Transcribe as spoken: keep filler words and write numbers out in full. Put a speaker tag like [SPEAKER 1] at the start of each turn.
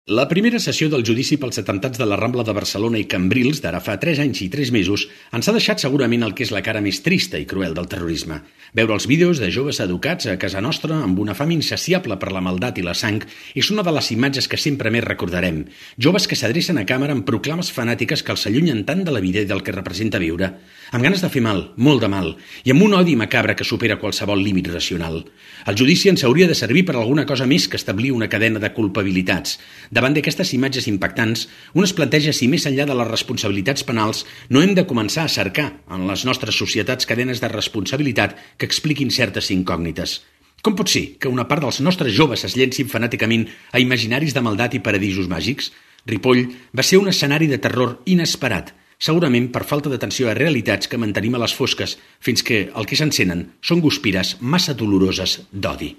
[SPEAKER 1] La primera sessió del judici pels atemptats de la Rambla de Barcelona i Cambrils, d'ara fa tres anys i tres mesos, ens ha deixat segurament el que és la cara més trista i cruel del terrorisme. Veure els vídeos de joves educats a casa nostra amb una fam insaciable per la maldat i la sang és una de les imatges que sempre més recordarem. Joves que s'adrecen a càmera amb proclames fanàtiques que els allunyen tant de la vida i del que representa viure, amb ganes de fer mal, molt de mal, i amb un odi macabre que supera qualsevol límit racional. El judici ens hauria de servir per alguna cosa més que establir una cadena de culpabilitats. Davant d'aquestes imatges impactants, un es planteja si més enllà de les responsabilitats penals no hem de començar a cercar en les nostres societats cadenes de responsabilitat que expliquin certes incògnites. Com pot ser que una part dels nostres joves es llencin fanàticament a imaginaris de maldat i paradisos màgics? Ripoll va ser un escenari de terror inesperat, segurament per falta d'atenció a realitats que mantenim a les fosques, fins que el que s'encenen són guspires massa doloroses d'odi.